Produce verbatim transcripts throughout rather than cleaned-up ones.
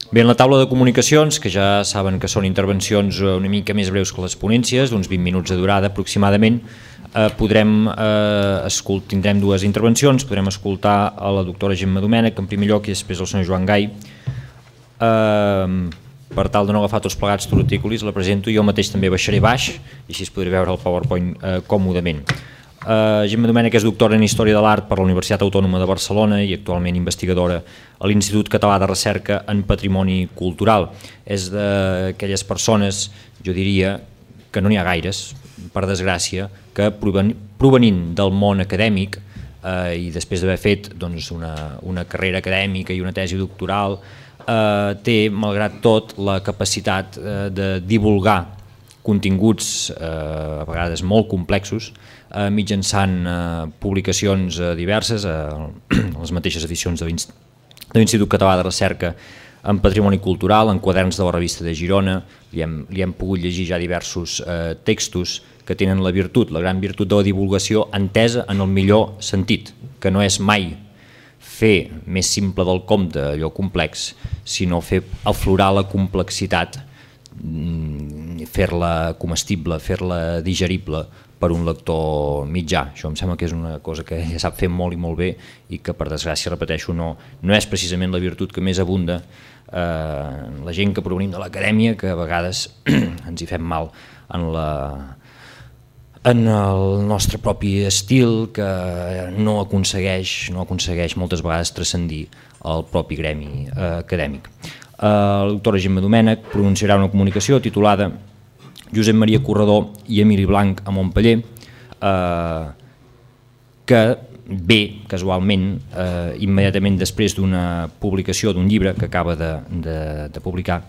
Bé, en la taula de comunicacions, que ja saben que són intervencions una mica més breus que les ponències, d'uns vint minuts de durada aproximadament, eh, podrem, eh, escolt, tindrem dues intervencions, podrem escoltar a la doctora Gemma Domènech en primer lloc i després el senyor Joan Gai. Eh, per tal de no agafar tots plegats tortícolis, la presento, jo mateix també baixaré baix i així es podré veure el PowerPoint eh, còmodament. Uh, Gemma Domènech és doctora en Història de l'Art per la Universitat Autònoma de Barcelona i actualment investigadora a l'Institut Català de Recerca en Patrimoni Cultural. És d'aquelles persones, jo diria, que no n'hi ha gaires, per desgràcia, que provenint del món acadèmic eh, i després d'haver fet doncs, una, una carrera acadèmica i una tesi doctoral, eh, té, malgrat tot, la capacitat eh, de divulgar continguts eh, a vegades molt complexos eh, mitjançant eh, publicacions eh, diverses, eh, les mateixes edicions de l'Institut Català de Recerca en Patrimoni Cultural, en quaderns de la revista de Girona, li hem, li hem pogut llegir ja diversos eh, textos que tenen la virtut, la gran virtut de la divulgació entesa en el millor sentit, que no és mai fer més simple del compte allò complex, sinó fer aflorar la complexitat, fer-la comestible, fer-la digerible per un lector mitjà. Això em sembla que és una cosa que ella sap fer molt i molt bé i que, per desgràcia, repeteixo, no, no és precisament la virtut que més abunda eh, la gent que provenim de l'acadèmia, que a vegades ens hi fem mal en, la, en el nostre propi estil, que no aconsegueix, no aconsegueix moltes vegades transcendir el propi gremi eh, acadèmic. La doctora Gemma Domènech pronunciarà una comunicació titulada Josep Maria Corredor i Emili Blanch a Montpeller, eh, que ve casualment eh, immediatament després d'una publicació d'un llibre que acaba de, de, de publicar,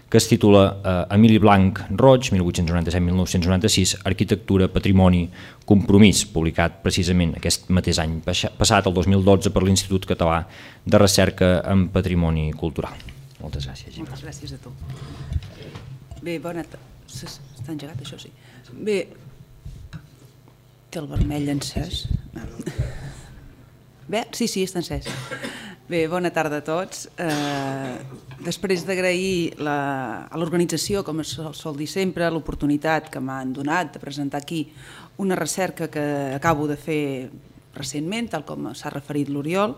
que es titula eh, Emili Blanch Roig, mil vuit-cents noranta-set a mil nou-cents noranta-sis, Arquitectura, Patrimoni, Compromís, publicat precisament aquest mateix any passat, el dos mil dotze, per l'Institut Català de Recerca en Patrimoni Cultural. Moltes gràcies, Gemma. Moltes gràcies a tu. Bé, bona tarda. Està engegat, això sí. Bé, té el vermell encès. Bé, sí, sí, està encès. Bé, bona tarda a tots. Eh, després d'agrair a l'organització, com es sol dir sempre, l'oportunitat que m'han donat de presentar aquí una recerca que acabo de fer recentment, tal com s'ha referit l'Oriol,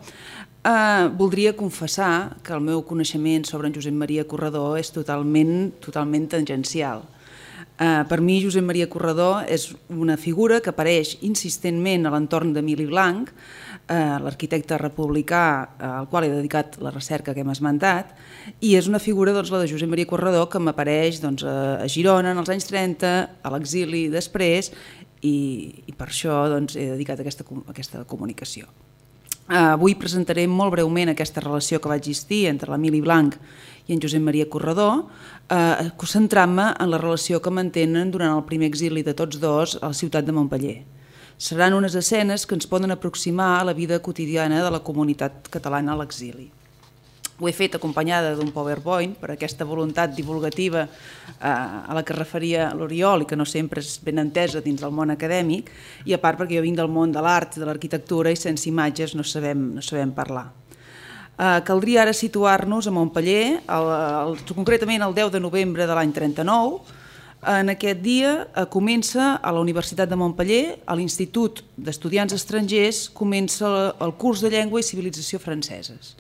eh, voldria confessar que el meu coneixement sobre en Josep Maria Corredor és totalment, totalment tangencial. Eh, per mi, Josep Maria Corredor és una figura que apareix insistentment a l'entorn d'Emili Blanch, eh, l'arquitecte republicà al qual he dedicat la recerca que hem esmentat, i és una figura, doncs, la de Josep Maria Corredor, que m'apareix doncs, a Girona en els anys trenta, a l'exili després, i, i per això doncs, he dedicat aquesta, aquesta comunicació. Uh, avui presentaré molt breument aquesta relació que va existir entre l'Emili Blanch i en Josep Maria Corredor, uh, concentrant-me en la relació que mantenen durant el primer exili de tots dos a la ciutat de Montpeller. Seran unes escenes que ens poden aproximar a la vida quotidiana de la comunitat catalana a l'exili. Ho he fet acompanyada d'un PowerPoint per aquesta voluntat divulgativa a la que es referia l'Oriol i que no sempre és ben entesa dins del món acadèmic, i a part perquè jo vinc del món de l'art i de l'arquitectura i sense imatges no sabem, no sabem parlar. Uh, caldria ara situar-nos a Montpeller, el, el, concretament el deu de novembre de l'any trenta-nou. En aquest dia uh, comença a la Universitat de Montpeller, a l'Institut d'Estudiants Estrangers, comença el curs de Llengua i Civilització franceses.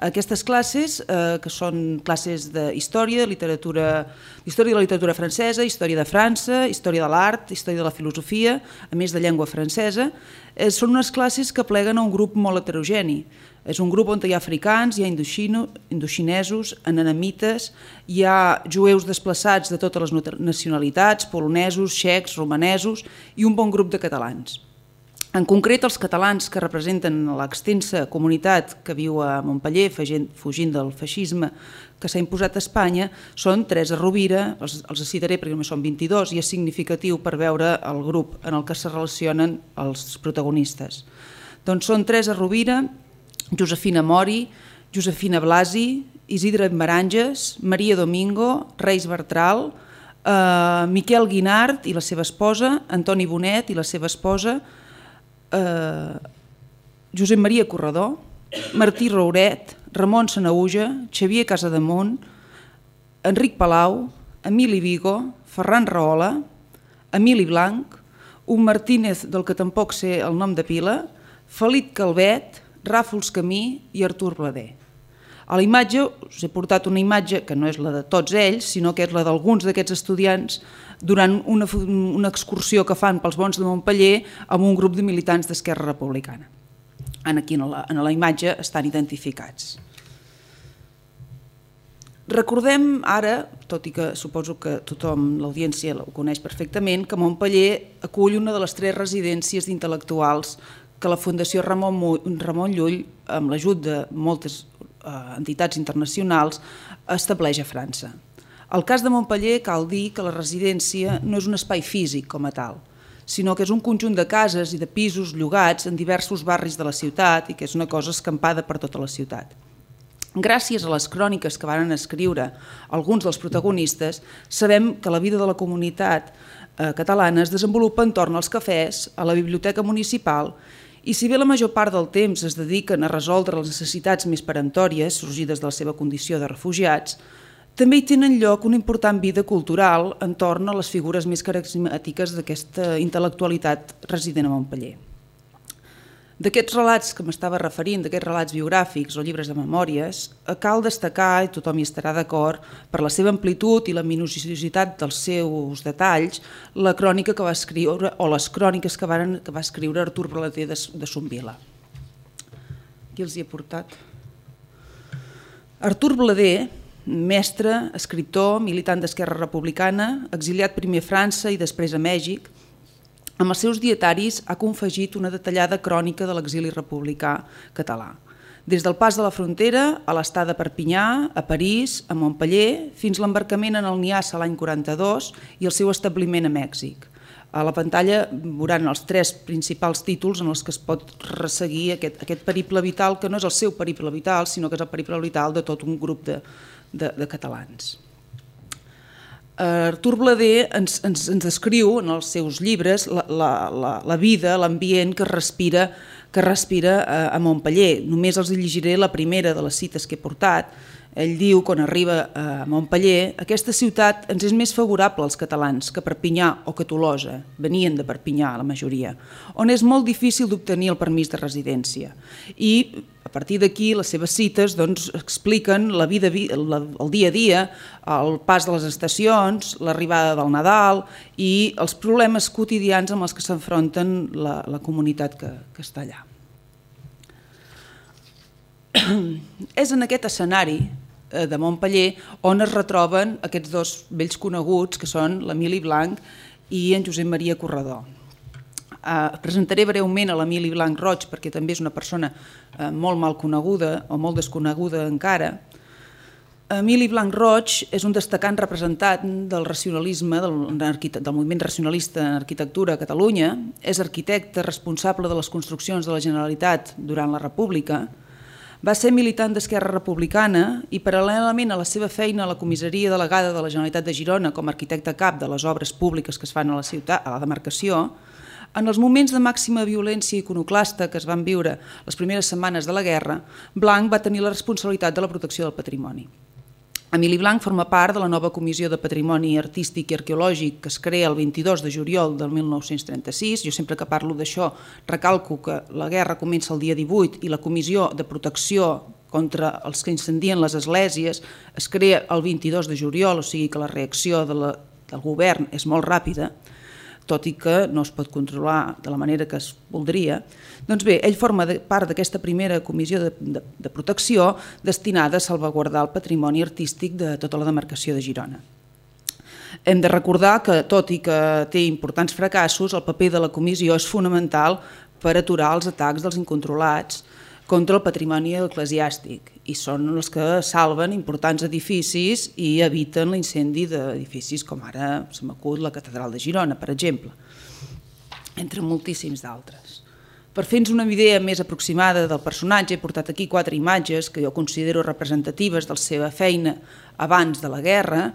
Aquestes classes, eh, que són classes d'història, literatura, història de la literatura francesa, història de França, història de l'art, història de la filosofia, a més de llengua francesa, eh, són unes classes que pleguen a un grup molt heterogeni. És un grup on hi ha africans, hi ha indoxino, indoxinesos, ananamites, hi ha jueus desplaçats de totes les nacionalitats, polonesos, txecs, romanesos i un bon grup de catalans. En concret, els catalans que representen l'extensa comunitat que viu a Montpeller fugint del feixisme que s'ha imposat a Espanya són Teresa Rovira, els, els citaré perquè només són vint-i-dos i és significatiu per veure el grup en el que se relacionen els protagonistes. Doncs són Teresa Rovira, Josefina Mori, Josefina Blasi, Isidre Maranges, Maria Domingo, Reis Bertral, eh, Miquel Guinart i la seva esposa, Antoni Bonet i la seva esposa, Uh, Josep Maria Corredor, Martí Rouret, Ramon Sanauja, Xavier Casademunt, Enric Palau, Emili Vigo, Ferran Rahola, Emili Blanc, un Martínez del que tampoc sé el nom de pila, Felip Calvet, Ràfols Camí i Artur Blader. A la imatge us he portat una imatge que no és la de tots ells, sinó que és la d'alguns d'aquests estudiants durant una, una excursió que fan pels Bons de Montpeller amb un grup de militants d'Esquerra Republicana. Aquí en la, en la imatge estan identificats. Recordem ara, tot i que suposo que tothom, l'audiència ho coneix perfectament, que Montpeller acull una de les tres residències d'intel·lectuals que la Fundació Ramon, Ramon Llull, amb l'ajut de moltes eh, entitats internacionals, estableix a França. Al cas de Montpeller cal dir que la residència no és un espai físic com a tal, sinó que és un conjunt de cases i de pisos llogats en diversos barris de la ciutat i que és una cosa escampada per tota la ciutat. Gràcies a les cròniques que van escriure alguns dels protagonistes, sabem que la vida de la comunitat catalana es desenvolupa entorn als cafès, a la biblioteca municipal, i si bé la major part del temps es dediquen a resoldre les necessitats més peremptòries sorgides de la seva condició de refugiats, també hi tenen lloc una important vida cultural entorn a les figures més carismàtiques d'aquesta intel·lectualitat resident a Montpeller. D'aquests relats que m'estava referint, d'aquests relats biogràfics o llibres de memòries, cal destacar, i tothom hi estarà d'acord, per la seva amplitud i la minuciositat dels seus detalls, la crònica que va escriure, o les cròniques que, van, que va escriure Artur Blader de, de Somvila. Qui els hi he portat? Artur Blader, mestre, escriptor, militant d'Esquerra Republicana, exiliat primer a França i després a Mèxic, amb els seus dietaris ha confegit una detallada crònica de l'exili republicà català, des del pas de la frontera a l'estada a Perpinyà, a París, a Montpeller, fins l'embarcament en el Niassa l'any quaranta-dos i el seu establiment a Mèxic. A la pantalla veuran els tres principals títols en els que es pot resseguir aquest, aquest periple vital, que no és el seu periple vital, sinó que és el periple vital de tot un grup de, de, de catalans. Artur Blader ens, ens, ens descriu en els seus llibres la, la, la, la vida, l'ambient que respira, que respira a, a Montpeller. Només els llegiré la primera de les cites que he portat. Ell diu, quan arriba a Montpeller, aquesta ciutat ens és més favorable als catalans que Perpinyà o que Tolosa, venien de Perpinyà la majoria, on és molt difícil d'obtenir el permís de residència. I a partir d'aquí les seves cites doncs, expliquen la vida, la, el dia a dia, el pas de les estacions, l'arribada del Nadal i els problemes quotidians amb els que s'enfronten la, la comunitat que, que està allà. És en aquest escenari de Montpeller on es retroben aquests dos vells coneguts que són l'Emili Blanc i en Josep Maria Corredor. Uh, presentaré breument a l'Emili Blanc Roig perquè també és una persona uh, molt mal coneguda o molt desconeguda encara. Emili Blanc Roig és un destacant representant del racionalisme, del, del moviment racionalista en arquitectura a Catalunya, és arquitecte responsable de les construccions de la Generalitat durant la República, va ser militant d'Esquerra Republicana i paral·lelament a la seva feina a la comissaria delegada de la Generalitat de Girona com a arquitecte cap de les obres públiques que es fan a la ciutat, a la demarcació, en els moments de màxima violència iconoclasta que es van viure les primeres setmanes de la guerra, Blanc va tenir la responsabilitat de la protecció del patrimoni. Emili Blanc forma part de la nova Comissió de Patrimoni Artístic i Arqueològic que es crea el vint-i-dos de juliol del mil nou-cents trenta-sis. Jo sempre que parlo d'això recalco que la guerra comença el dia divuit i la Comissió de Protecció contra els que incendien les esglésies es crea el vint-i-dos de juliol, o sigui que la reacció de la, del govern és molt ràpida, tot i que no es pot controlar de la manera que es voldria. Doncs bé, ell forma part d'aquesta primera comissió de, de, de protecció destinada a salvaguardar el patrimoni artístic de tota la demarcació de Girona. Hem de recordar que, tot i que té importants fracassos, el paper de la comissió és fonamental per aturar els atacs dels incontrolats contra el patrimoni eclesiàstic i són els que salven importants edificis i eviten l'incendi d'edificis com ara se m'acut la Catedral de Girona, per exemple, entre moltíssims d'altres. Per fer-nos una idea més aproximada del personatge, he portat aquí quatre imatges que jo considero representatives de la seva feina abans de la guerra.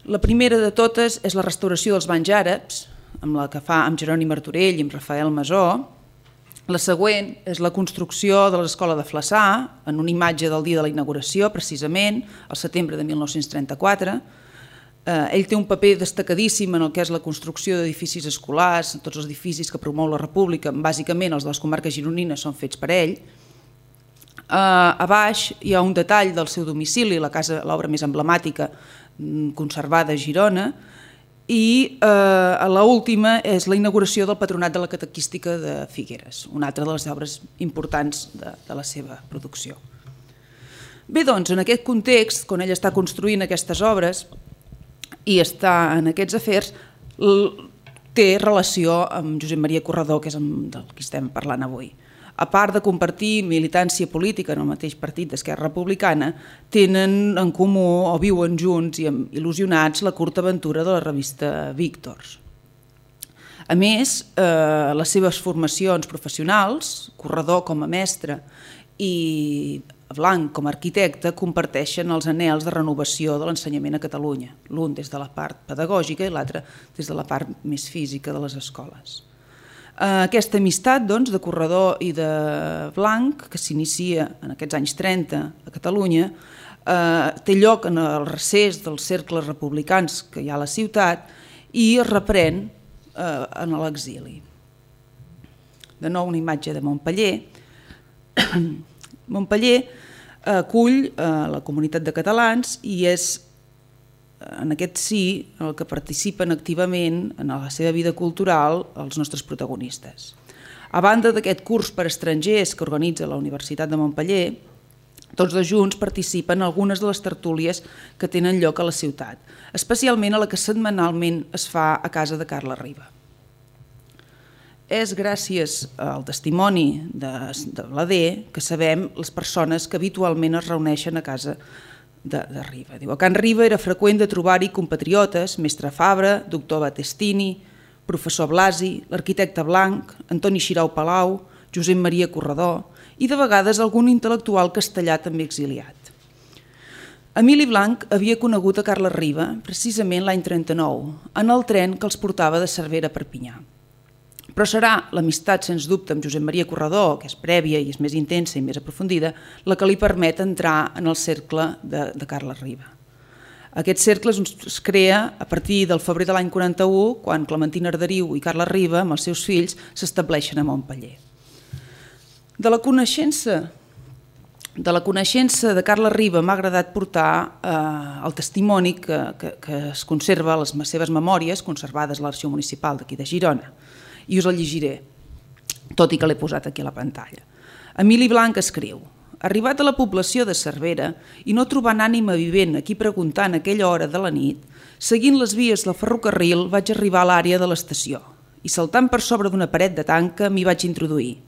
La primera de totes és la restauració dels banys àrabs, amb la que fa amb Jeroni Martorell i amb Rafael Masó. La següent és la construcció de l'escola de Flaçà, en una imatge del dia de la inauguració, precisament, al setembre de mil nou-cents trenta-quatre. Eh, ell té un paper destacadíssim en el que és la construcció d'edificis escolars, tots els edificis que promou la República, bàsicament els de les comarques gironines són fets per ell. Eh, a baix hi ha un detall del seu domicili, la casa, l'obra més emblemàtica conservada a Girona, i eh, a l'última és la inauguració del Patronat de la Catequística de Figueres, una altra de les obres importants de, de la seva producció. Bé, doncs, en aquest context, quan ell està construint aquestes obres i està en aquests afers, té relació amb Josep Maria Corredor, que és del que estem parlant avui. A part de compartir militància política en el mateix partit d'Esquerra Republicana, tenen en comú o viuen junts i il·lusionats la curta aventura de la revista Víctors. A més, eh, les seves formacions professionals, Corredor com a mestre i Blanc com a arquitecte, comparteixen els anhels de renovació de l'ensenyament a Catalunya, l'un des de la part pedagògica i l'altre des de la part més física de les escoles. Aquesta amistat doncs, de Corredor i de Blanc, que s'inicia en aquests anys trenta a Catalunya, eh, té lloc en el recés dels cercles republicans que hi ha a la ciutat i es reprèn eh, en l'exili. De nou una imatge de Montpeller. Montpeller acull eh, la comunitat de catalans i és en aquest sí el que participen activament en la seva vida cultural els nostres protagonistes. A banda d'aquest curs per estrangers que organitza la Universitat de Montpeller, tots dos junts participen en algunes de les tertúlies que tenen lloc a la ciutat, especialment a la que setmanalment es fa a casa de Carla Riba. És gràcies al testimoni de, de l'A D que sabem les persones que habitualment es reuneixen a casa de, de Riba. Diu, a Can Riba era freqüent de trobar-hi compatriotes, mestre Fabra, doctor Battestini, professor Blasi, l'arquitecte Blanc, Antoni Xirau Palau, Josep Maria Corredor i de vegades algun intel·lectual castellà també exiliat. Emili Blanc havia conegut a Carla Riba precisament l'any trenta-nou, en el tren que els portava de Cervera a Perpinyà. Però serà l'amistat, sens dubte, amb Josep Maria Corredor, que és prèvia i és més intensa i més aprofundida, la que li permet entrar en el cercle de, de Carla Riba. Aquest cercle es crea a partir del febrer de l'any quaranta-u, quan Clementina Arderiu i Carla Riba, amb els seus fills, s'estableixen a Montpeller. De la coneixença de la coneixença de Carla Riba m'ha agradat portar eh, el testimoni que, que, que es conserva a les seves memòries, conservades a l'Arxiu Municipal d'aquí de Girona, i us el llegiré, tot i que l'he posat aquí a la pantalla. Emili Blanc escriu: arribat a la població de Cervera i no trobant ànima vivent aquí preguntant a aquella hora de la nit, seguint les vies del ferrocarril vaig arribar a l'àrea de l'estació i saltant per sobre d'una paret de tanca m'hi vaig introduir.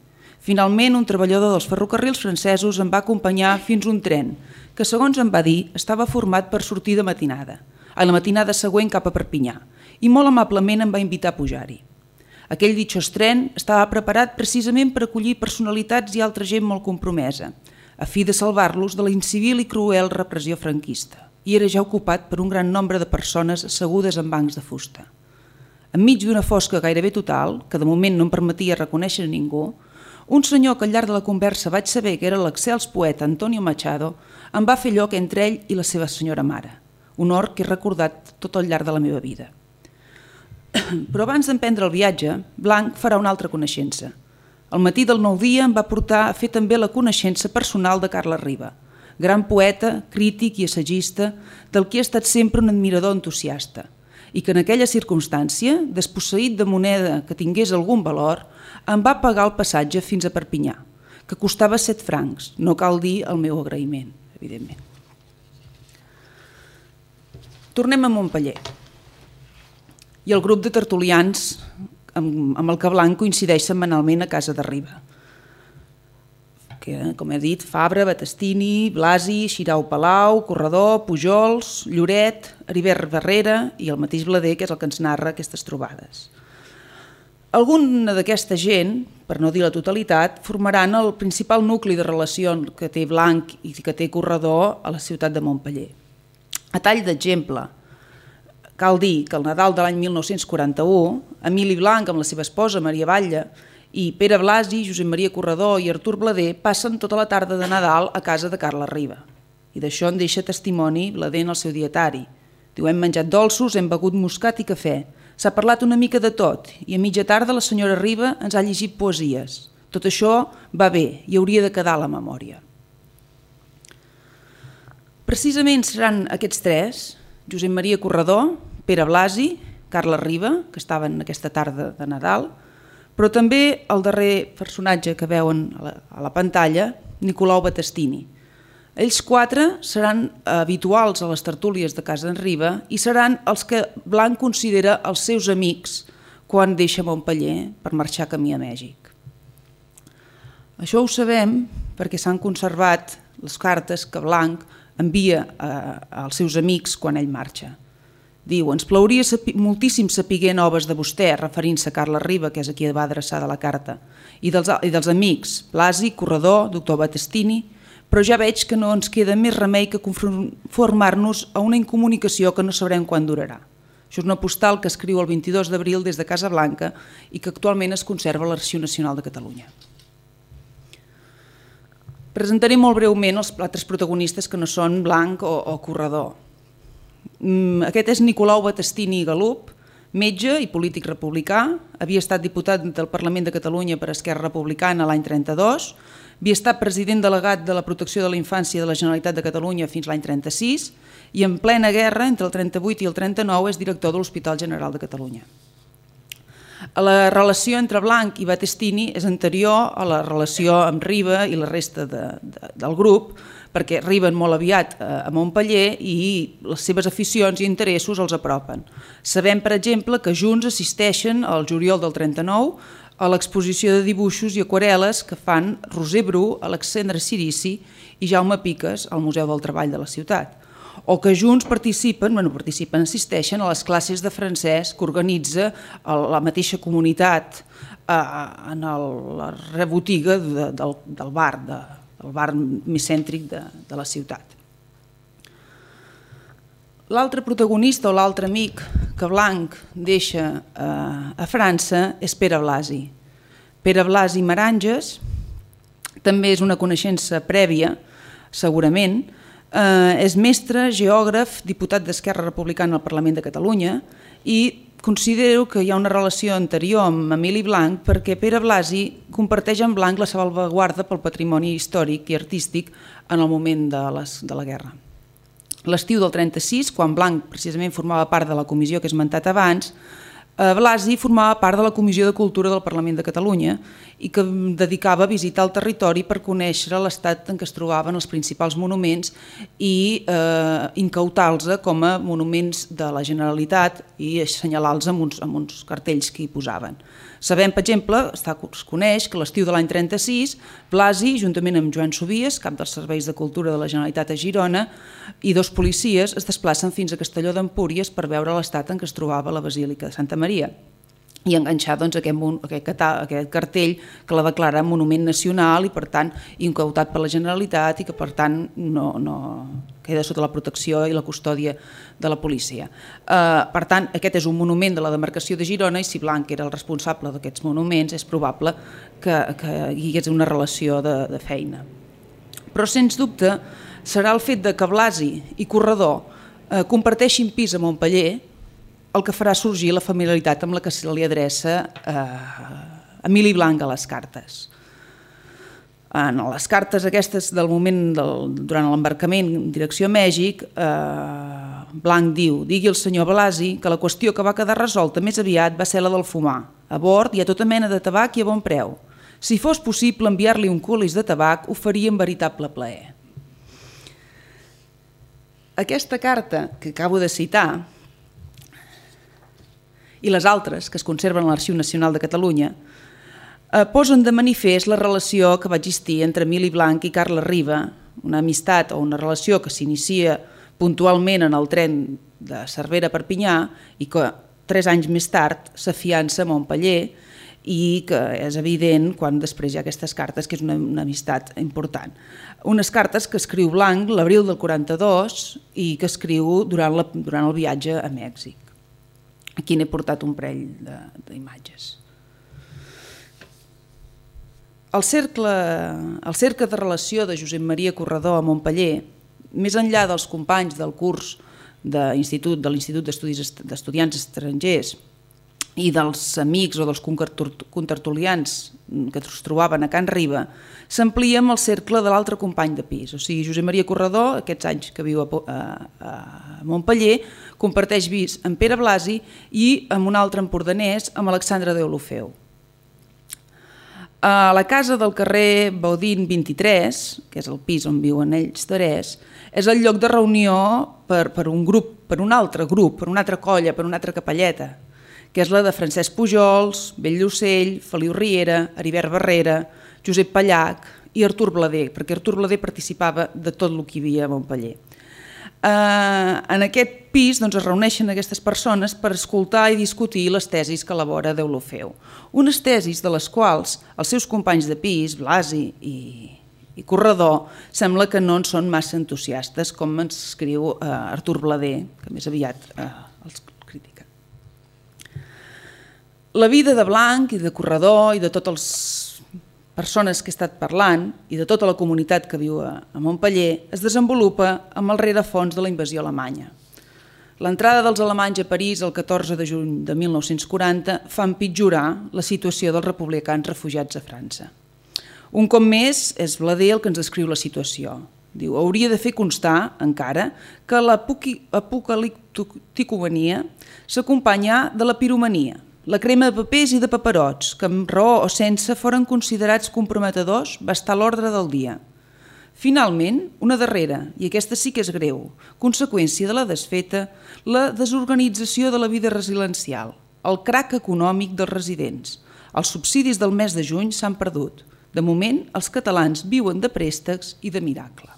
Finalment, un treballador dels ferrocarrils francesos em va acompanyar fins un tren que, segons em va dir, estava format per sortir de matinada, a la matinada següent cap a Perpinyà, i molt amablement em va invitar a pujar-hi. Aquell ditxós tren estava preparat precisament per acollir personalitats i altra gent molt compromesa, a fi de salvar-los de la incivil i cruel repressió franquista, i era ja ocupat per un gran nombre de persones assegudes en bancs de fusta. Enmig d'una fosca gairebé total, que de moment no em permetia reconèixer ningú, un senyor que al llarg de la conversa vaig saber que era l'excels poeta Antonio Machado em va fer lloc entre ell i la seva senyora mare, honor que he recordat tot al llarg de la meva vida. Però abans d'emprendre el viatge, Blanc farà una altra coneixença. El matí del nou dia em va portar a fer també la coneixença personal de Carla Riba, gran poeta, crític i assagista, del qui he estat sempre un admirador entusiasta, i que en aquella circumstància, desposseït de moneda que tingués algun valor, em va pagar el passatge fins a Perpinyà, que costava set francs, no cal dir el meu agraïment, evidentment. Tornem a Montpeller. I el grup de tertulians amb, amb el que Blanc coincideix setmanalment a casa de Riba. Que, com he dit, Fabra, Battestini, Blasi, Xirau Palau, Corredor, Pujols, Lloret, Heribert Barrera i el mateix Blader, que és el que ens narra aquestes trobades. Alguna d'aquesta gent, per no dir la totalitat, formaran el principal nucli de relació que té Blanc i que té Corredor a la ciutat de Montpeller. A tall d'exemple, cal dir que el Nadal de l'any mil nou-cents quaranta-u, Emili Blanc amb la seva esposa Maria Batlle i Pere Blasi, Josep Maria Corredor i Artur Blader passen tota la tarda de Nadal a casa de Carles Riba. I d'això en deixa testimoni Blader en el seu dietari. Diu, hem menjat dolços, hem begut moscat i cafè. S'ha parlat una mica de tot i a mitja tarda la senyora Riba ens ha llegit poesies. Tot això va bé i hauria de quedar a la memòria. Precisament seran aquests tres, Josep Maria Corredor, Pere Blasi, Carles Riba, que estaven aquesta tarda de Nadal, però també el darrer personatge que veuen a la, a la pantalla, Nicolau Battistini. Ells quatre seran habituals a les tertúlies de casa en Riba i seran els que Blanc considera els seus amics quan deixa Montpeller per marxar camí a Mèxic. Això ho sabem perquè s'han conservat les cartes que Blanc envia a, als seus amics quan ell marxa. Diu, ens plauria sapi, moltíssim saber noves de vostè, referint-se a Carles Riba, que és a qui va adreçada la carta, i dels, i dels amics, Blasi, Corredor, doctor Battistini, però ja veig que no ens queda més remei que conformar-nos a una incomunicació que no sabrem quan durarà. Això és una postal que escriu el vint-i-dos d'abril des de Casablanca i que actualment es conserva a l'Arxiu Nacional de Catalunya. Presentaré molt breument els altres protagonistes que no són Blanc o, o Corredor. Aquest és Nicolau Battistini i Galup, metge i polític republicà, havia estat diputat del Parlament de Catalunya per Esquerra Republicana l'any trenta-dos, havia estat president delegat de la protecció de la infància de la Generalitat de Catalunya fins l'any trenta-sis i en plena guerra, entre el trenta-vuit i el trenta-nou, és director de l'Hospital General de Catalunya. La relació entre Blanc i Battistini és anterior a la relació amb Riba i la resta de, de, del grup, perquè arriben molt aviat a Montpeller i les seves aficions i interessos els apropen. Sabem, per exemple, que junts assisteixen al juliol del trenta-nou a l'exposició de dibuixos i aquarel·les que fan Roser Bru, Alexandre Cirici i Jaume Piques al Museu del Treball de la ciutat. O que junts participen, bueno, participen, assisteixen a les classes de francès que organitza la mateixa comunitat en la rebotiga de, del, del bar, de, el bar més cèntric de, de la ciutat. L'altre protagonista o l'altre amic que Blanc deixa eh, a França és Pere Blasi. Pere Blasi Maranges també és una coneixença prèvia, segurament. Eh, és mestre, geògraf, diputat d'Esquerra Republicana al Parlament de Catalunya i considero que hi ha una relació anterior amb Emili Blanc perquè Pere Blasi comparteix amb Blanc la salvaguarda pel patrimoni històric i artístic en el moment de, les, de la guerra. L'estiu del trenta-sis, quan Blanc precisament formava part de la comissió que he esmentat abans, Blasi formava part de la Comissió de Cultura del Parlament de Catalunya i que dedicava a visitar el territori per conèixer l'estat en què es trobaven els principals monuments i eh, incautar-los com a monuments de la Generalitat i assenyalar-los amb, uns, amb uns cartells que hi posaven. Sabem, per exemple, està, es coneix que l'estiu de l'any trenta-sis, Blasi, juntament amb Joan Sobies, cap dels serveis de cultura de la Generalitat a Girona, i dos policies es desplacen fins a Castelló d'Empúries per veure l'estat en què es trobava la Basílica de Santa Maria i enganxar doncs, aquest, aquest, aquest cartell que la declara monument nacional i per tant incautat per la Generalitat i que per tant no, no queda sota la protecció i la custòdia de la policia. Eh, per tant, aquest és un monument de la demarcació de Girona i si Blanc era el responsable d'aquests monuments és probable que, que hi hagués una relació de, de feina. Però sens dubte serà el fet de que Blasi i Corredor eh, comparteixin pis a Montpeller el que farà sorgir la familiaritat amb la que se li adreça eh, Emili Blanc a les cartes. En les cartes aquestes del moment del, durant l'embarcament en direcció a Mèxic, eh, Blanc diu, digui al senyor Blasi que la qüestió que va quedar resolta més aviat va ser la del fumar. A bord hi ha tota mena de tabac i a bon preu. Si fos possible enviar-li un colis de tabac, ho faria amb veritable plaer. Aquesta carta que acabo de citar i les altres que es conserven a l'Arxiu Nacional de Catalunya eh, posen de manifest la relació que va existir entre Emili Blanc i Carles Riba, una amistat o una relació que s'inicia puntualment en el tren de Cervera a Perpinyà i que tres anys més tard s'afiança a Montpeller i que és evident quan després hi ha aquestes cartes que és una, una amistat important. Unes cartes que escriu Blanc l'abril del quaranta-dos i que escriu durant, la, durant el viatge a Mèxic. Aquí n'he portat un parell d'imatges. el cercle, el cercle de relació de Josep Maria Corredor a Montpeller, més enllà dels companys del curs de l'Institut de l'Institut d'Estudiants Estrangers i dels amics o dels contertulians que es trobaven a Can Riba, s'amplia amb el cercle de l'altre company de pis. O sigui, Josep Maria Corredor, aquests anys que viu a, a, a Montpeller, comparteix pis amb Pere Blasi i amb un altre empordanès, amb Alexandre Deulofeu. A la casa del carrer Baudín vint-i-tres, que és el pis on viuen ells tres, és el lloc de reunió per, per un grup, per un altre grup, per una altra colla, per una altra capelleta, que és la de Francesc Pujols, Bell Llucell, Feliu Riera, Heribert Barrera, Josep Pallac i Artur Blader, perquè Artur Blader participava de tot el que hi havia a Montpeller. Eh, en aquest pis doncs, es reuneixen aquestes persones per escoltar i discutir les tesis que elabora Deulofeu. Unes tesis de les quals els seus companys de pis, Blasi i, i Corredor, sembla que no en són massa entusiastes, com ens escriu eh, Artur Blader, que més aviat eh, els critica. La vida de Blanc i de Corredor i de totes les persones que he estat parlant i de tota la comunitat que viu a Montpeller es desenvolupa amb el rerefons de la invasió alemanya. L'entrada dels alemanys a París el catorze de juny de mil nou-cents quaranta fa empitjorar la situació dels republicans refugiats a França. Un cop més és Blader el que ens descriu la situació. Diu, hauria de fer constar, encara, que l'apocalipticomania s'acompanya de la piromania, la crema de papers i de paperots, que amb raó o sense foren considerats comprometedors, va estar a l'ordre del dia. Finalment, una darrera, i aquesta sí que és greu, conseqüència de la desfeta, la desorganització de la vida residencial, el crac econòmic dels residents. Els subsidis del mes de juny s'han perdut. De moment, els catalans viuen de préstecs i de miracle.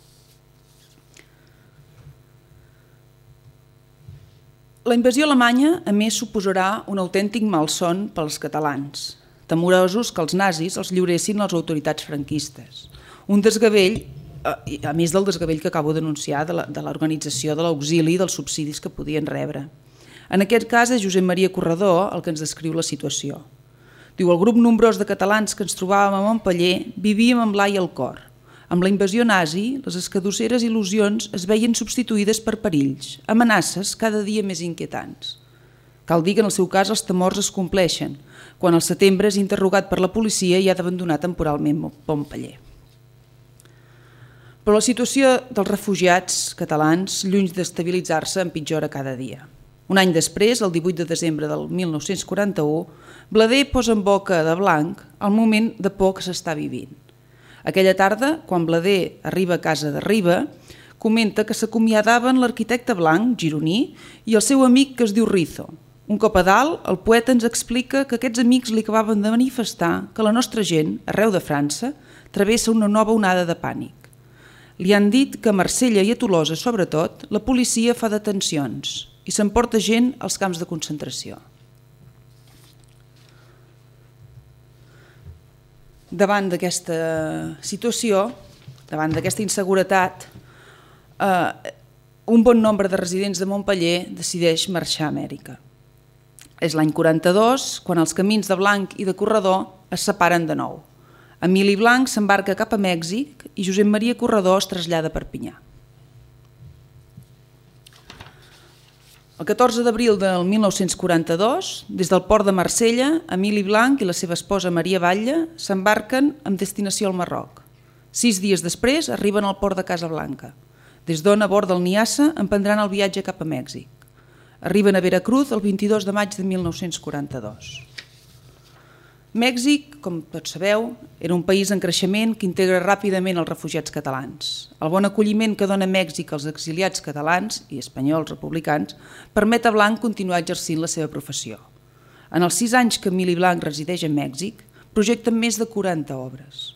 La invasió alemanya, a més, suposarà un autèntic malson pels catalans, temorosos que els nazis els lliuressin a les autoritats franquistes. Un desgavell, a més del desgavell que acabo d'anunciar de l'organització de l'auxili i dels subsidis que podien rebre. En aquest cas és Josep Maria Corredor el que ens descriu la situació. Diu, el grup nombrós de catalans que ens trobàvem a Montpeller vivíem amb l'ai al cor. Amb la invasió nazi, les escadusseres il·lusions es veien substituïdes per perills, amenaces cada dia més inquietants. Cal dir que en el seu cas els temors es compleixen, quan al setembre és interrogat per la policia i ha d'abandonar temporalment Montpeller. Però la situació dels refugiats catalans, lluny d'estabilitzar-se, empitjora cada dia. Un any després, el divuit de desembre del mil nou-cents quaranta-u, Blader posa en boca de Blanc el moment de por que s'està vivint. Aquella tarda, quan Blader arriba a casa de Riba, comenta que s'acomiadaven l'arquitecte Blanc, gironí, i el seu amic que es diu Rizo. Un cop a dalt, el poeta ens explica que aquests amics li acabaven de manifestar que la nostra gent, arreu de França, travessa una nova onada de pànic. Li han dit que a Marsella i a Tolosa, sobretot, la policia fa detencions i s'emporta gent als camps de concentració. Davant d'aquesta situació, davant d'aquesta inseguretat, eh, un bon nombre de residents de Montpeller decideix marxar a Amèrica. És l'any quaranta-dos, quan els camins de Blanc i de Corredor es separen de nou. Emili Blanc s'embarca cap a Mèxic i Josep Maria Corredor es trasllada a Perpinyà. El catorze d'abril del mil nou-cents quaranta-dos, des del port de Marsella, Emili Blanc i la seva esposa Maria Batlle s'embarquen amb destinació al Marroc. Sis dies després arriben al port de Casablanca. Des d'on, a bord del Niassa, emprendran el viatge cap a Mèxic. Arriben a Veracruz el vint-i-dos de maig de mil nou-cents quaranta-dos. Mèxic, com tots sabeu, era un país en creixement que integra ràpidament els refugiats catalans. El bon acolliment que dona Mèxic als exiliats catalans i espanyols republicans permet a Blanc continuar exercint la seva professió. En els sis anys que Emili Blanc resideix a Mèxic, projecten més de quaranta obres.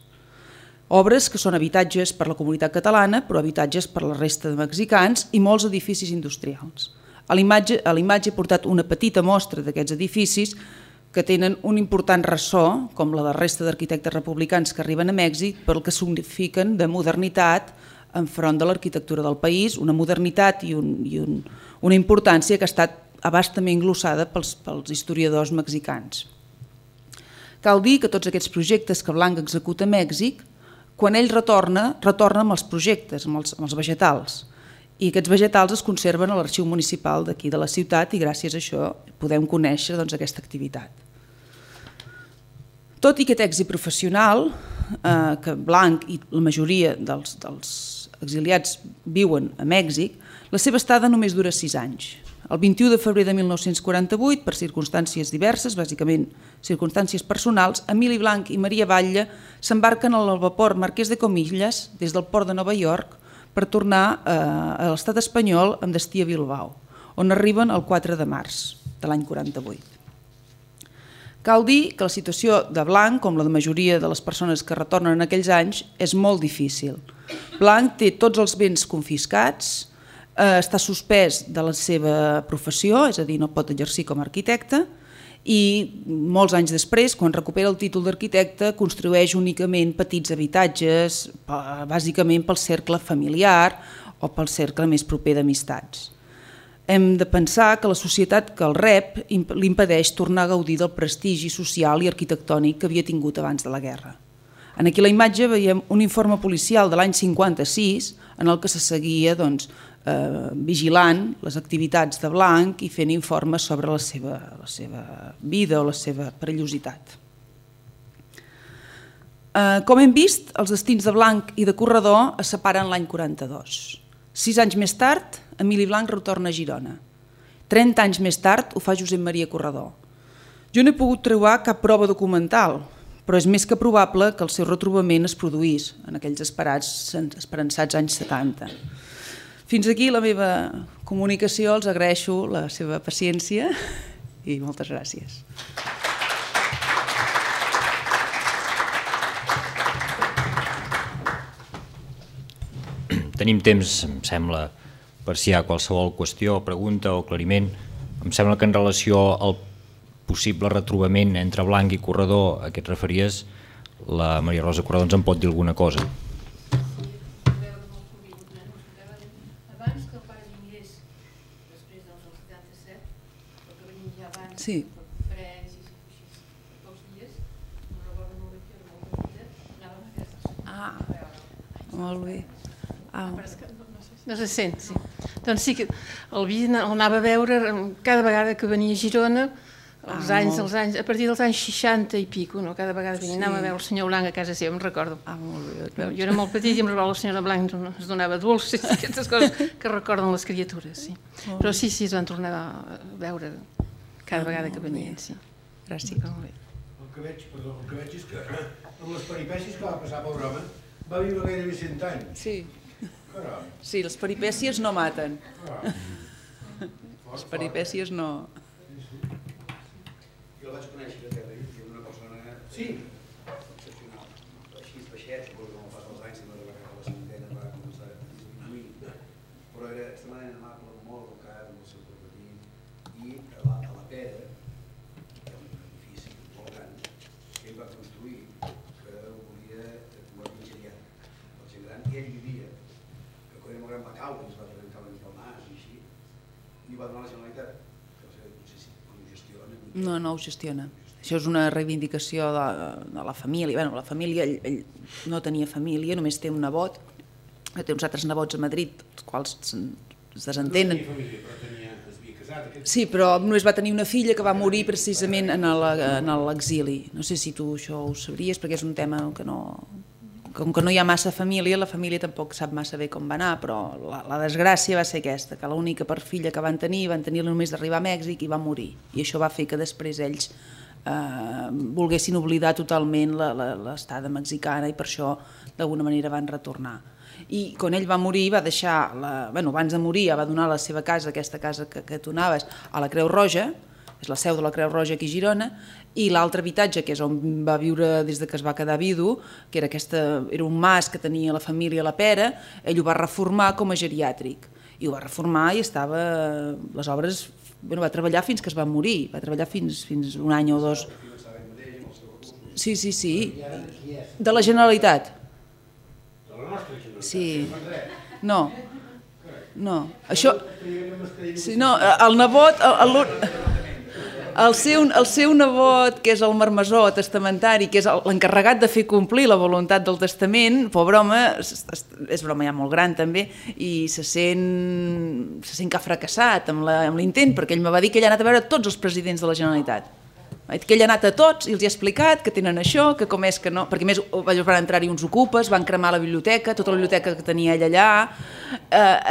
Obres que són habitatges per la comunitat catalana, però habitatges per la resta de mexicans i molts edificis industrials. A l'imatge he portat una petita mostra d'aquests edificis que tenen un important ressò, com la de la resta d'arquitectes republicans que arriben a Mèxic, pel que signifiquen de modernitat enfront de l'arquitectura del país, una modernitat i, un, i un, una importància que ha estat abastament glossada pels, pels historiadors mexicans. Cal dir que tots aquests projectes que Blanc executa a Mèxic, quan ell retorna, retorna amb els projectes, amb els, amb els vegetals. I aquests vegetals es conserven a l'arxiu municipal d'aquí de la ciutat i gràcies a això podem conèixer doncs, aquesta activitat. Tot i aquest èxit professional, eh, que Blanc i la majoria dels, dels exiliats viuen a Mèxic, la seva estada només dura sis anys. El vint-i-u de febrer de mil nou-cents quaranta-vuit, per circumstàncies diverses, bàsicament circumstàncies personals, Emili Blanc i Maria Batlle s'embarquen al vapor Marquès de Comillas des del port de Nova York per tornar a l'estat espanyol amb destí a Bilbao, on arriben el quatre de març de l'any quaranta-vuit. Cal dir que la situació de Blanc, com la de majoria de les persones que retornen en aquells anys, és molt difícil. Blanc té tots els béns confiscats, està suspès de la seva professió, és a dir, no pot exercir com a arquitecte, i molts anys després, quan recupera el títol d'arquitecte, construeix únicament petits habitatges, bàsicament pel cercle familiar o pel cercle més proper d'amistats. Hem de pensar que la societat que el rep li impedeix tornar a gaudir del prestigi social i arquitectònic que havia tingut abans de la guerra. En aquí la imatge veiem un informe policial de l'any cinquanta-sis en el que se seguia doncs, eh, vigilant les activitats de Blanc i fent informes sobre la seva, la seva vida o la seva perillositat. Eh, com hem vist, els destins de Blanc i de Corredor es separen l'any quaranta-dos. Sis anys més tard, Emili Blanc retorna a Girona. Trenta anys més tard ho fa Josep Maria Corredor. Jo no he pogut trobar cap prova documental, però és més que probable que el seu retrobament es produís en aquells esperats, esperançats anys setanta. Fins aquí la meva comunicació, els agraeixo la seva paciència i moltes gràcies. Tenim temps, em sembla, per si hi ha qualsevol qüestió, pregunta o aclariment. Em sembla que en relació al possible retrobament entre Blanc i Corredor a què et referies, la Maria Rosa Corredor ens en pot dir alguna cosa. Sí. Ah, molt bé. Ah. No se sent, sí. Doncs sí que el anava a veure cada vegada que venia a Girona, els anys, els anys, a partir dels anys seixanta i pico, no? Cada vegada venia, anava a veure el senyor Blanc a casa seva, em recordo. Ah, molt bé. Jo era molt petit i em recordo la senyora Blanc ens donava dolces, aquestes coses que recorden les criatures, sí. Però sí, sí, es van tornar a veure cada vegada que venien, sí. Gràcies. El que veig, perdó, el que veig és que amb les peripècies que va passar pel home va viure gairebé cent anys. Sí. Caram. Sí, les peripècies no maten. Caram. Les peripècies no... Jo el vaig conèixer a Terra, que era una persona sí. excepcional. Així és baixet, suposo que amb el pas dels anys, no va cap a la cinquantena, va començar a disminuir, però era extremadament amable, molt educat, amb el seu corporatiu, i a la, a la Pera, que era un edifici molt gran, que ell va construir, que ho volia convertir en geriàtric. El gent gran, i ell vivia, que quan era molt gran va caure, es va trencar una mica el nas i així, i ho va donar a la Generalitat. No, no ho gestiona. Això és una reivindicació de, de la família. Bé, la família, ell, ell no tenia família, només té un nebot, té uns altres nebots a Madrid, els quals es desentenen. No tenia família, però tenia, es havia casat. Aquest... Sí, però només va tenir una filla que va morir precisament en l'exili. No sé si tu això ho sabries, perquè és un tema que no... Com que no hi ha massa família, la família tampoc sap massa bé com va anar, però la, la desgràcia va ser aquesta, que l'única per filla que van tenir, van tenir només d'arribar a Mèxic i va morir. I això va fer que després ells eh, volguessin oblidar totalment l'estada mexicana i per això d'alguna manera van retornar. I quan ell va morir va deixar, la, bueno, abans de morir va donar la seva casa, aquesta casa que, que tu anaves, a la Creu Roja, és la seu de la Creu Roja aquí a Girona, i l'altre habitatge, que és on va viure des que es va quedar vidu, que era, aquesta, era un mas que tenia la família a la Pera, ell ho va reformar com a geriàtric. I ho va reformar i estava... Les obres... Bueno, va treballar fins que es va morir, va treballar fins, fins un any o dos. Sí, sí, sí. De la Generalitat. De la nostra Generalitat. Sí. No. No. Això... Sí, no, el nebot... El, el, el seu, el seu nebot, que és el marmessor testamentari, que és l'encarregat de fer complir la voluntat del testament, pobre home, és broma ja molt gran també, i se sent, se sent que ha fracassat amb l'intent, perquè ell me va dir que ell ha anat a veure tots els presidents de la Generalitat. Que ell ha anat a tots i els ha explicat que tenen això, que com és que no... Perquè més van entrar-hi uns ocupes, van cremar la biblioteca, tota la biblioteca que tenia ell allà.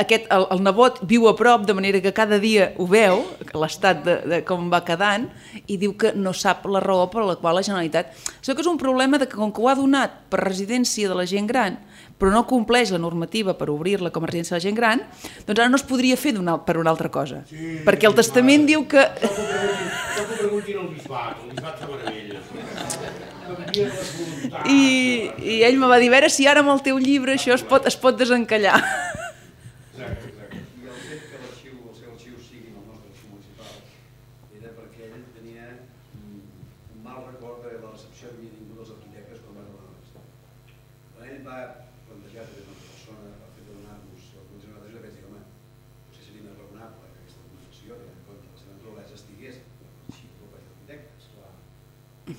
Aquest, el, el nebot viu a prop, de manera que cada dia ho veu, l'estat de, de com va quedant, i diu que no sap la raó per la qual la Generalitat... Això que és un problema de que com que ho ha donat per residència de la gent gran, però no compleix la normativa per obrir-la com a residència de la gent gran, doncs ara no es podria fer una, per una altra cosa. Sí, perquè el testament diu que... Això que preguntin al bisbat, el bisbat de meravella. I, I ell me va dir, a veure si ara amb el teu llibre això es pot, es pot desencallar. Exacte, exacte. I el fet que l'arxiu, el seu arxiu sigui el nostre arxiu municipal era perquè ell tenia un mal record de la recepció que havia tingut els arquitectes quan va donar l'Estat. Quan ell va plantejar des d'una persona el fet de donar-nos la condició de la vaig dir, home, potser seria més raonable que aquesta documentació, tenint en compte que la seva naturalesa estigués en l'arxiu del Col·legi d'Arquitectes, clar.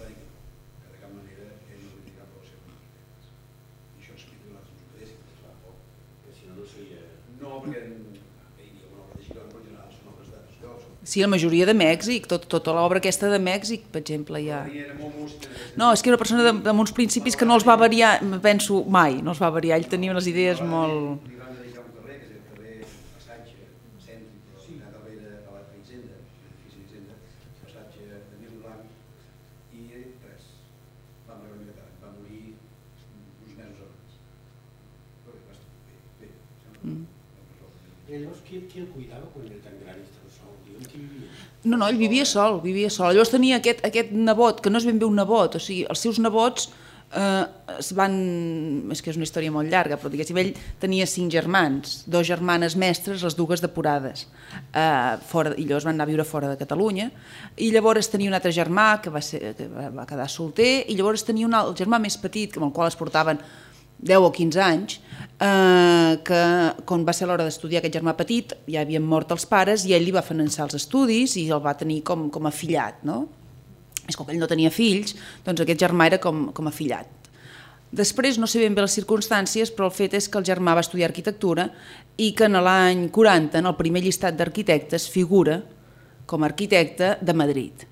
Va dir que no, que de cap manera ell no havia cap relació amb arquitectes. I això explica que nosaltres ens ho quedéssim, clar, perquè si no, no seria... No, perquè hi havia una obra de Girona, però en general són obres d'altres llocs. Sí, la majoria de Mèxic, tot, tota l'obra aquesta de Mèxic, per exemple, hi ha... No, és que era una persona de, amb uns principis que no els va variar, penso, mai, no els va variar, ell tenia unes idees molt... Li van dedicar un carrer, que és el carrer Passatge, cèntric, però sí, darrere a la Hisenda, l'edifici d'Hisenda, Passatge de Mil Blanc, i res, va morir una mica tard, va morir uns mesos abans. Però bé, va estar bé, bé, sembla... I llavors, qui, qui el cuidava quan era tan gran i estava sol? Digue'm qui vivia? No, no, ell vivia sol, vivia sol. Llavors tenia aquest, aquest nebot, que no és ben bé un nebot, o sigui, els seus nebots eh, es van... És que és una història molt llarga, però diguéssim, ell tenia cinc germans, dos germanes mestres, les dues depurades, eh, fora, i llavors van anar a viure fora de Catalunya, i llavors tenia un altre germà que va, ser, que va quedar solter, i llavors tenia un altre, el germà més petit, amb el qual es portaven deu o quinze anys, eh, que quan va ser l'hora d'estudiar aquest germà petit ja havien mort els pares i ell li va finançar els estudis i el va tenir com, com a fillat, no? És com que ell no tenia fills, doncs aquest germà era com, com a fillat. Després no sé ben bé les circumstàncies, però el fet és que el germà va estudiar arquitectura i que en l'any quaranta, en el primer llistat d'arquitectes, figura com a arquitecte de Madrid,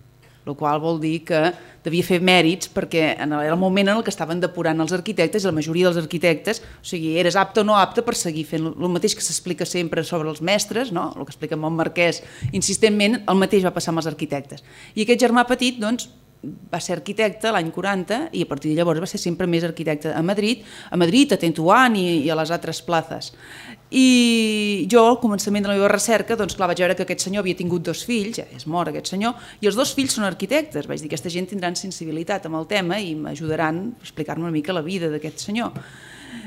el qual vol dir que devia fer mèrits perquè era el moment en el que estaven depurant els arquitectes i la majoria dels arquitectes, o sigui, eres apte o no apte per seguir fent el mateix que s'explica sempre sobre els mestres, no? El que explica Montmarquès insistentment, el mateix va passar amb els arquitectes. I aquest germà petit, doncs, va ser arquitecte l'any quaranta i a partir de llavors va ser sempre més arquitecte a Madrid, a Madrid, a Tentuán i, i a les altres plazes. I jo, al començament de la meva recerca, doncs clar, vaig veure que aquest senyor havia tingut dos fills, ja és mort aquest senyor, i els dos fills són arquitectes. Vaig dir, aquesta gent tindran sensibilitat amb el tema i m'ajudaran a explicar-me una mica la vida d'aquest senyor.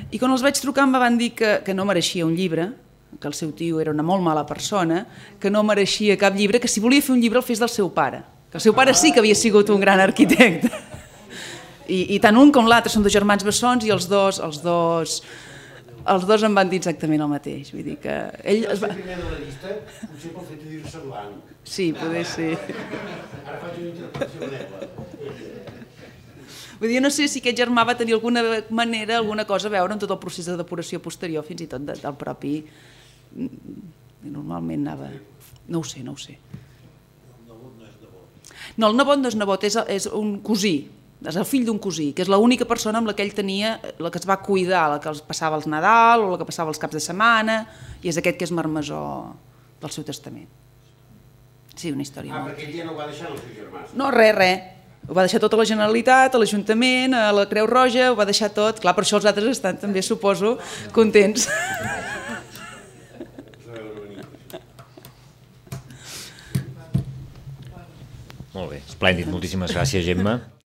I quan els vaig trucar em van dir que, que no mereixia un llibre, que el seu tio era una molt mala persona, que no mereixia cap llibre, que si volia fer un llibre el fes del seu pare, que el seu pare sí que havia sigut un gran arquitecte. I, i tant un com l'altre són dos germans bessons i els dos, els dos, els dos em van dir exactament el mateix. Vull dir que ell es va... El primer de la llista, potser pel fet de dir-se blanc. Sí, poder ser. Ara faig una interpretació meva. Vull dir, no sé si aquest germà va tenir alguna manera, alguna cosa a veure amb tot el procés de depuració posterior, fins i tot del propi... Normalment anava... No ho sé, no ho sé. No, el nebot no és nebot, és, és un cosí, és el fill d'un cosí, que és l'única persona amb la que ell tenia, la que es va cuidar, la que els passava els Nadal o la que passava els caps de setmana, i és aquest que és marmessor del seu testament. Sí, una història Ah, molt... perquè ell ja no ho va deixar als seus germans. No, res, res. Ho va deixar tot a la Generalitat, a l'Ajuntament, a la Creu Roja, ho va deixar tot. Clar, per això els altres estan també, suposo, contents. Molt bé, esplèndid, moltíssimes gràcies, Gemma.